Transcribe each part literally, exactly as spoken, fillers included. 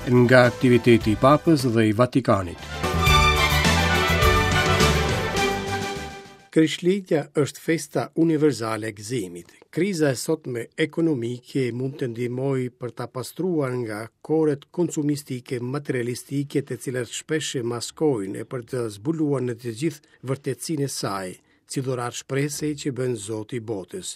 Nga aktiviteti i Papës dhe i Vatikanit. Krishtlindja është festa universale e gëzimit. Kriza e sotme ekonomike mund të ndihmojë për ta pastruar nga koret konsumistike materialistike të cilat shpesh e maskojnë e për të zbuluar në të gjithë vërtetësinë e saj, si dhuratë shprese që bën Zoti i botës.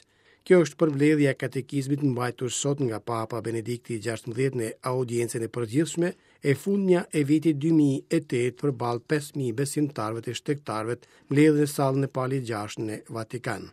Kjo është përmbledhja e katekizmit mbajtur sot nga Papa Benedikti i gjashtëmbëdhjetë në audiencën e përgjithshme e fundmja e vitit dy mijë e tetë përballë pesë mijë besimtarëve të shtegtarëve mbledhur në sallën e Palit gjashtë në Vatikan.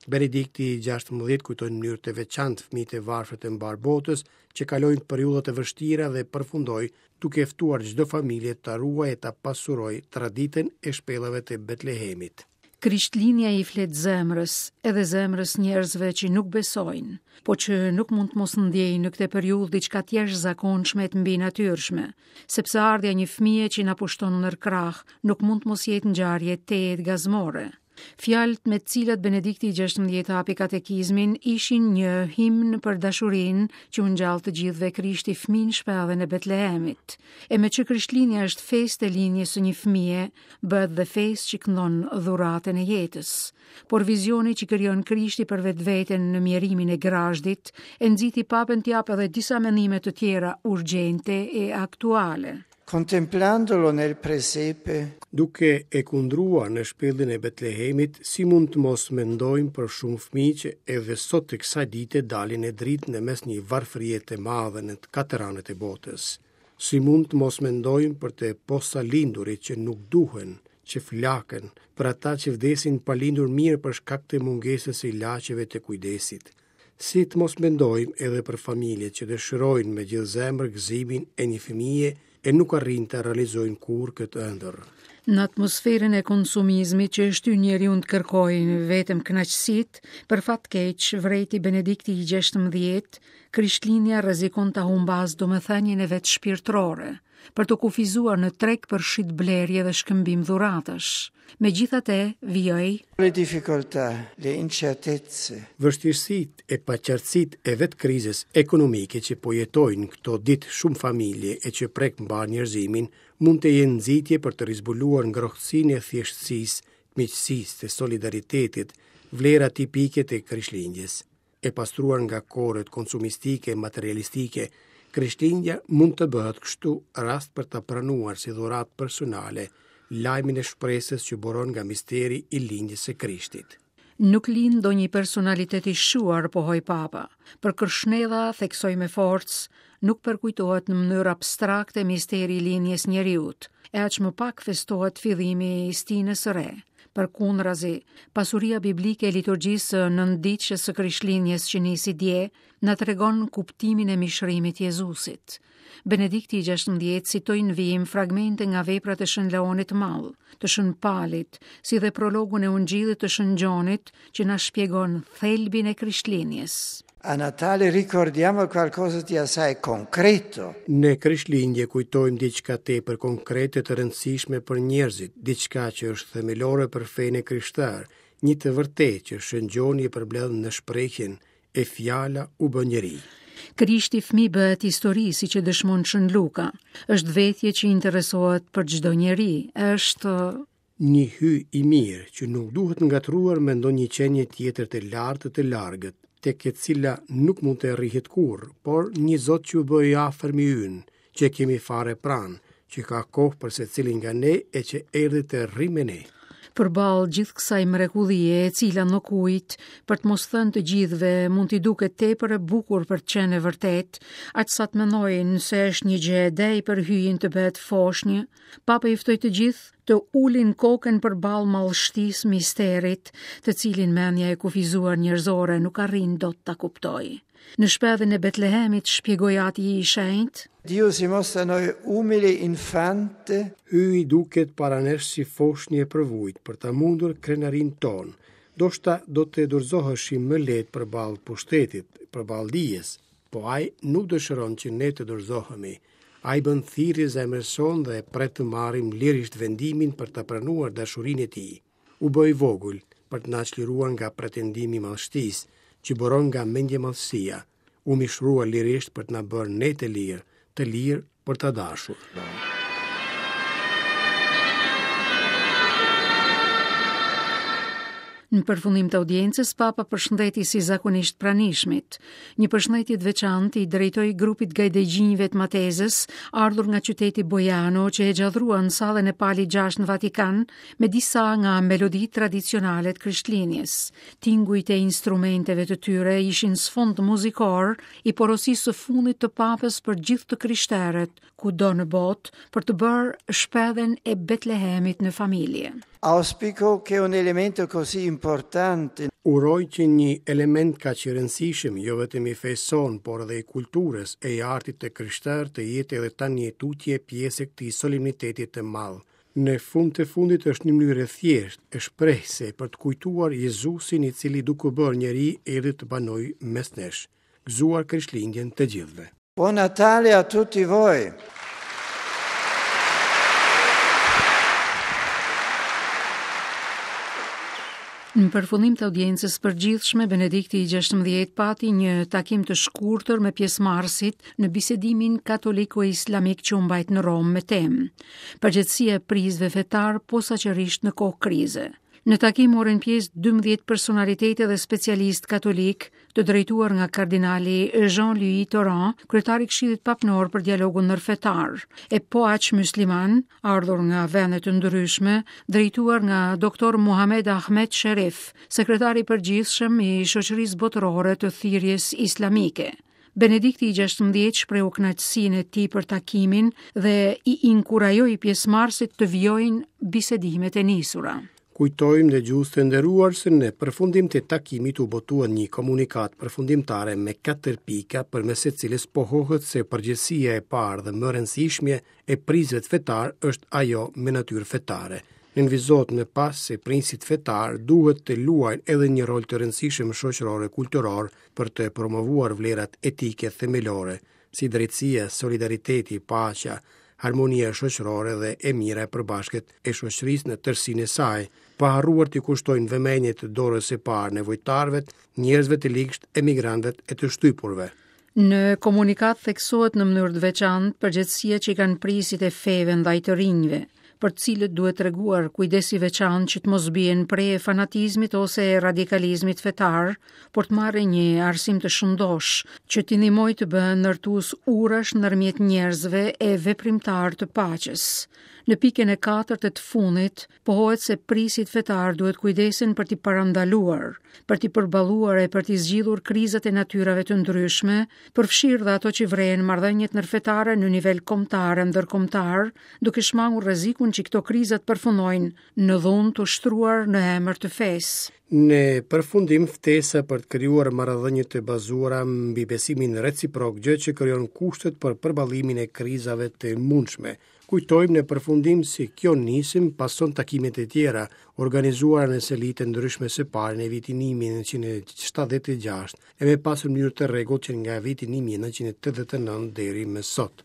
Benedikti i gjashtëmbëdhjetë kujtoi në mënyrë të veçantë fëmijët e varfër të mbarë botës që kalojnë periudha të vështira dhe përfundoi duke ftuar çdo familje ta ruajë e ta pasurojë traditën e shpellave të Betlehemit. Krishtlindja i flet zemrës, edhe zemrës njerëzve që nuk besojnë, po që nuk mund të mos ndjejnë në këtë periudhë diçka të jashtëzakonshme e të mbinatyrshme, sepse ardhja e një fëmije që na pushton nër krah nuk mund të mos jetë ngjarje tejet gazmore. Fjalët me të cilat Benedikti i gjashtëmbëdhjetë hapi katekizmin ishin një himn për dashurinë që u ngjall të gjithëve Krishti fëmijë në shpellën e Betlehemit. E me që Krishtlindja është festë e lindjes së një fëmije, bëhet dhe festë që këndon dhuratën e jetës. Por vizioni që krijon Krishti për vetveten në mjerimin e grazhdit e nxiti Papën të japë edhe disa mendime të tjera urgjente e aktuale. Contemplandolo nel presepe, duke e kundruar në shpellën e Betlehemit, si mund të mos mendojmë për shumë fëmijë që edhe sot të kësaj dite dalin në dritë në mes një varfërie të madhe në të katër anët e botës. Si mund të mos mendojmë për të posalindurit që nuk duhen, që flaken, për ata që vdesin pa lindur mirë për shkak të mungesës së ilaçeve të kujdesit. Si të mos mendojmë edhe për familjet që dëshirojnë me gjithë zemër gëzimin e një fëmije e nuk arrin të realizojnë kurrë këtë ëndër. Në atmosferën e konsumizmit që e shtyn njeriu të kërkojë vetëm kënaqësitë, për fat keq, vrejti Benedikti i gjashtëmbëdhjetë, Krishtlindja rrezikon ta humbas domethënien e vet shpirtërore, për të kufizuar në treg për shitblerje dhe shkëmbim dhuratash. Megjithatë, vijoi: Le difficoltà, le incertezze, Vështirësitë e paqartësitë e vetë krizës ekonomike që po jetojnë këto ditë shumë familje e që prek mbar njerëzimin, mund të jenë nxitje për të rizbuluar ngrohtësinë e thjeshtësisë, miqësisë, të solidaritetit, vlera tipike të Krishtlindjes. E pastruar nga koret konsumistike e materialistike, Krishtlindja mund të bëhet kështu rast për ta pranuar si dhuratë personale lajmin e shpresës që buron nga misteri i lindjes së Krishtit. Nuk lind ndonjë personalitet i shuar, pohoi Papa. Për Krshnedha theksoi me forcë, nuk përkujtohet në mënyrë abstrakte misteri i lindjes njeriut, e aq më pak festohet fillimi i stinës së re. Përkundrazi, pasuria biblike e liturgjisë së nënditshës së Krishtlindjes që nisi dje, na tregon kuptimin e mishrimit Jezusit. Benedikti i gjashtëmbëdhjetë citoi në vijim fragmente nga veprat e Shën Leonit të Madh, të Shën Palit, si dhe prologun e Ungjillit të Shën Gjonit, që na shpjegon thelbin e Krishtlindjes. A Natale ricordiamo qualcosa di assai concreto. Në Krishtlindje kujtojmë diçka tepër konkrete të rëndësishme për njerëzit, diçka që është themelore për fenë e krishterë, një të vërtetë që Shën Gjoni e përbledh në shprehjen e fjala u bë njeri. Krishti fëmijë bëhet histori, siç e dëshmon Shën Luka. Është vetje që interesohet për çdo njeri, është një hy i mirë që nuk duhet ngatruar me ndonjë qenie tjetër të lartë të largët, tek e cila nuk mund të rrihet kurrë, por një Zot që u bë i afërmi ynë, që e kemi fare pranë, që ka kohë për secilin nga ne e që erdhi të rri me ne. Përballë gjithë kësaj mrekullie e cila nuk ujt, për të mos thënë të gjithëve, mund t'i duket tepër e bukur për të qenë e vërtetë, aq sa të mendojnë se është një gjë e dej për hyjin të bëhet foshnjë, Papa i ftoi të gjithë të ulin kokën përballë madhështisë misterit, të cilin mendja e kufizuar njerëzore nuk arrin dot ta kuptojë. Në shpellën e Betlehemit shpjegoi Ati i Shenjtë: Dio si mostra noi umile infante. Hyji duket para nesh si foshnjë e përvujt për ta mundur krenarinë tonë. Ndoshta do të dorëzoheshim më lehtë përballë pushtetit, përballë dijes, po ai nuk dëshiron që ne të dorëzohemi. Ai bën thirrje zemrës sonë dhe pret të marrim lirisht vendimin për ta pranuar dashurinë e tij. U bë i vogël për të na çliruar nga pretendimi i madhështisë, që buron nga mendjemadhësia. U mishrua lirisht për të na bërë ne të lirë, të lirë për ta dashur. Në përfundim të audiencës, Papa përshëndeti si zakonisht pranishmit. Një përshëndetje të veçantë i drejtoi grupit gajdegjinjve të Matezës, ardhur nga qyteti Bojano, që e gjadhruan sallën e Palit gjashtë në Vatikan me disa nga meloditë tradicionale të Krishtlindjes. Tingujt e instrumenteve të tyre ishin sfond muzikor i porosisë së fundit të Papës për gjithë të krishterët, kudo në botë, për të bërë shpedhen e Betlehemit në familje. Auspico che un elemento così importante Uroj që një element kaq i rëndësishëm, jo vetëm i fesë sonë, por edhe i kulturës e i artit të krishterë të jetë edhe tani e tutje pjesë e këtij solemniteti të madh. Në fund të fundit është një mënyrë e thjeshtë, e shprehëse për të kujtuar Jezusin i cili duke bërë njeri erdhi të banojë mes nesh. Gëzuar Krishtlindjen të gjithëve. Buon Natale a tutti voi! Në përfundim të audiencës përgjithshme, Benedikti i gjashtëmbëdhjetë pati një takim të shkurtër me pjesëmarrësit në bisedimin katoliko-islamik që u mbajt në Romë me temë Përgjegjësia e prijësve fetar posaçërisht në kohë krize. Në takim morën pjesë dymbëdhjetë personalitete dhe specialistë katolik, të drejtuar nga kardinali Jean-Louis Tauran, kryetari i Këshillit Papnor për dialogun ndërfetar, e po aq musliman, ardhur nga vende të ndryshme, drejtuar nga doktor Muhamed Ahmed Sherif, sekretari i përgjithshëm i Shoqërisë Botërore të Thirrjes Islamike. Benedikti i gjashtëmbëdhjetë shprehu kënaqësinë e tij për takimin dhe i inkurajoi pjesëmarrësit të vijojnë bisedimet e nisura. Kujtojmë dëgjues të nderuar se në përfundim të takimit u botua një komunikatë përfundimtare me katër pika përmes së cilës pohohet se përgjegjësia e parë dhe më e rëndësishme e prijësve fetar është ajo me natyrë fetare. Nënvizohet më pas se prijësit fetar duhet të luajnë edhe një rol të rëndësishëm shoqëror e kulturor për të promovuar vlerat etike themelore, si drejtësia, solidariteti, paqja, harmonia shoqërore dhe e mira e përbashkët e shoqërisë në tërësinë e saj, pa harruar t'i kushtojnë vëmendje të dorës së parë nevojtarëve, njerëzve të ligsht, emigrantëve e të shtypurve. Në komunikat theksohet në mënyrë të veçantë përgjegjësia që i kanë prijësit e feve ndaj të rinjve, për të cilët duhet treguar kujdes i veçantë që të mos bien pre e fanatizmit ose e radikalizmit fetar, por të marrin një arsim të shëndosh, që t'i ndihmojë të bëhen ndërtues urash ndërmjet njerëzve e veprimtar të paqes. Në pikën e katërt e të fundit, pohohet se prijësit fetar duhet kujdesen për t'i parandaluar, për t'i përballuar e për t'i zgjidhur krizat e natyrave të ndryshme, përfshirë dhe ato që vrejnë marrëdhëniet ndërfetare në nivel kombëtar e ndërkombëtar, duke shmangur rrezikun që këto kriza të përfundojnë në dhunë të ushtruar në emër të fesë. Në përfundim, ftesa për të krijuar marrëdhënie të bazuara mbi besimin reciprok, gjë që krijon kushtet për përballimin e krizave të mundshme. Kujtojmë në përfundim se kjo nismë pason takimet e tjera organizuara në selitë ndryshme së pari në vitin një mijë e nëntëqind e shtatëdhjetë e gjashtë e me pas në mënyrë të rregullt që nga viti një mijë e nëntëqind e tetëdhjetë e nëntë deri më sot.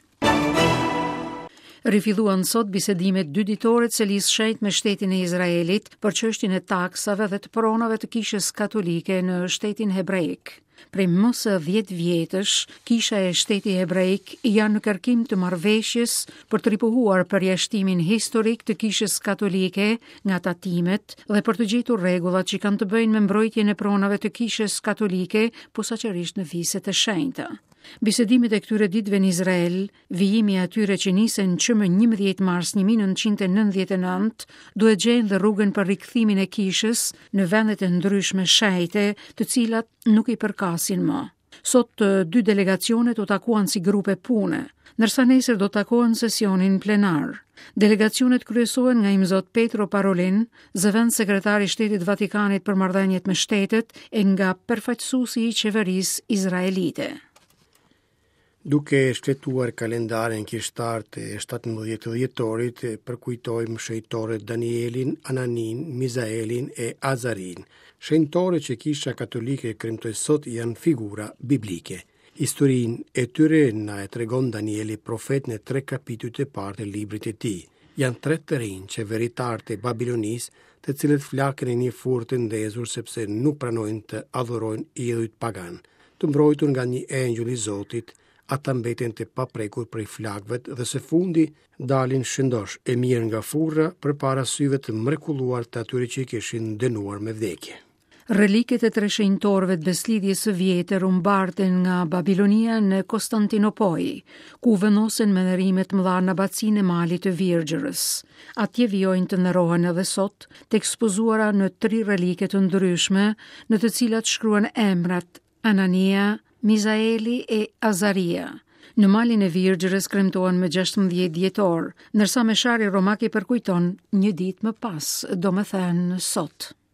Rifilluan sot bisedimet dy ditore të selisë shenjtë me shtetin e Izraelit për çështjen e taksave dhe të pronave të kishës katolike në shtetin hebraik. Prej më se dhjetë vjetësh, kisha e shteti hebraik janë në kërkim të marrëveshjes për të ripohuar përjashtimin historik të kishës katolike nga tatimet dhe për të gjetur rregullat që kanë të bëjnë me mbrojtjen e pronave të kishës katolike, posaçërisht në viset e shenjta. Bisedimet e këtyre ditëve në Izrael, vijimi i atyre që nisën që më njëmbëdhjetë mars një mijë e nëntëqind e nëntëdhjetë e nëntë, duhet gjejnë dhe rrugën për rikthimin e kishës në vendet e ndryshme shenjte, të cilat nuk i përkasin më. Sot të dy delegacionet u takuan si grupe pune, ndërsa nesër do takohen në sesionin plenar. Delegacionet kryesohen nga Imzot Petro Parolin, zëvendës sekretari i Shtetit Vatikanit për marrëdhëniet me shtetet e nga përfaqësuesi i qeverisë izraelite. Duke shfletuar kalendarin kishtar të shtatëmbëdhjetë dhjetorit, përkujtojmë shenjtorët Danielin, Ananin, Mizaelin e Azarin. Shenjtorët që Kisha Katolike kremtoi sot janë figura biblike. Historinë e tyre na e tregon Danieli profet në tre kapitujt e parë të librit të tij. Janë tre të rinj qeveritarë të Babilonisë, të cilët flakën e një furrë të ndezur sepse nuk pranojnë të adhurojnë idhujt pagan. Të mbrojtur nga një engjëll i Zotit, ata mbeten të paprekur prej flakëve dhe së fundi dalin shëndosh e mirë nga furra përpara syve të mrekulluar të atyre që i kishin dënuar me vdekje. Reliket e tre shenjtorëve të Besëlidhjes së Vjetër u mbarten nga Babilonia në Konstantinopojë, ku vendosen me nderime të mëdha në abacinë e Malit të Virgjërës. Atje vijojnë të nderohen edhe sot, të ekspozuara në tri relike të ndryshme, në të cilat shkruan emrat Anania, Mizaeli e Azaria. Në Malin e Virgjërës kremtohen më gjashtëmbëdhjetë dhjetor, ndërsa meshari romak i përkujton një ditë më pas, domethënë sot.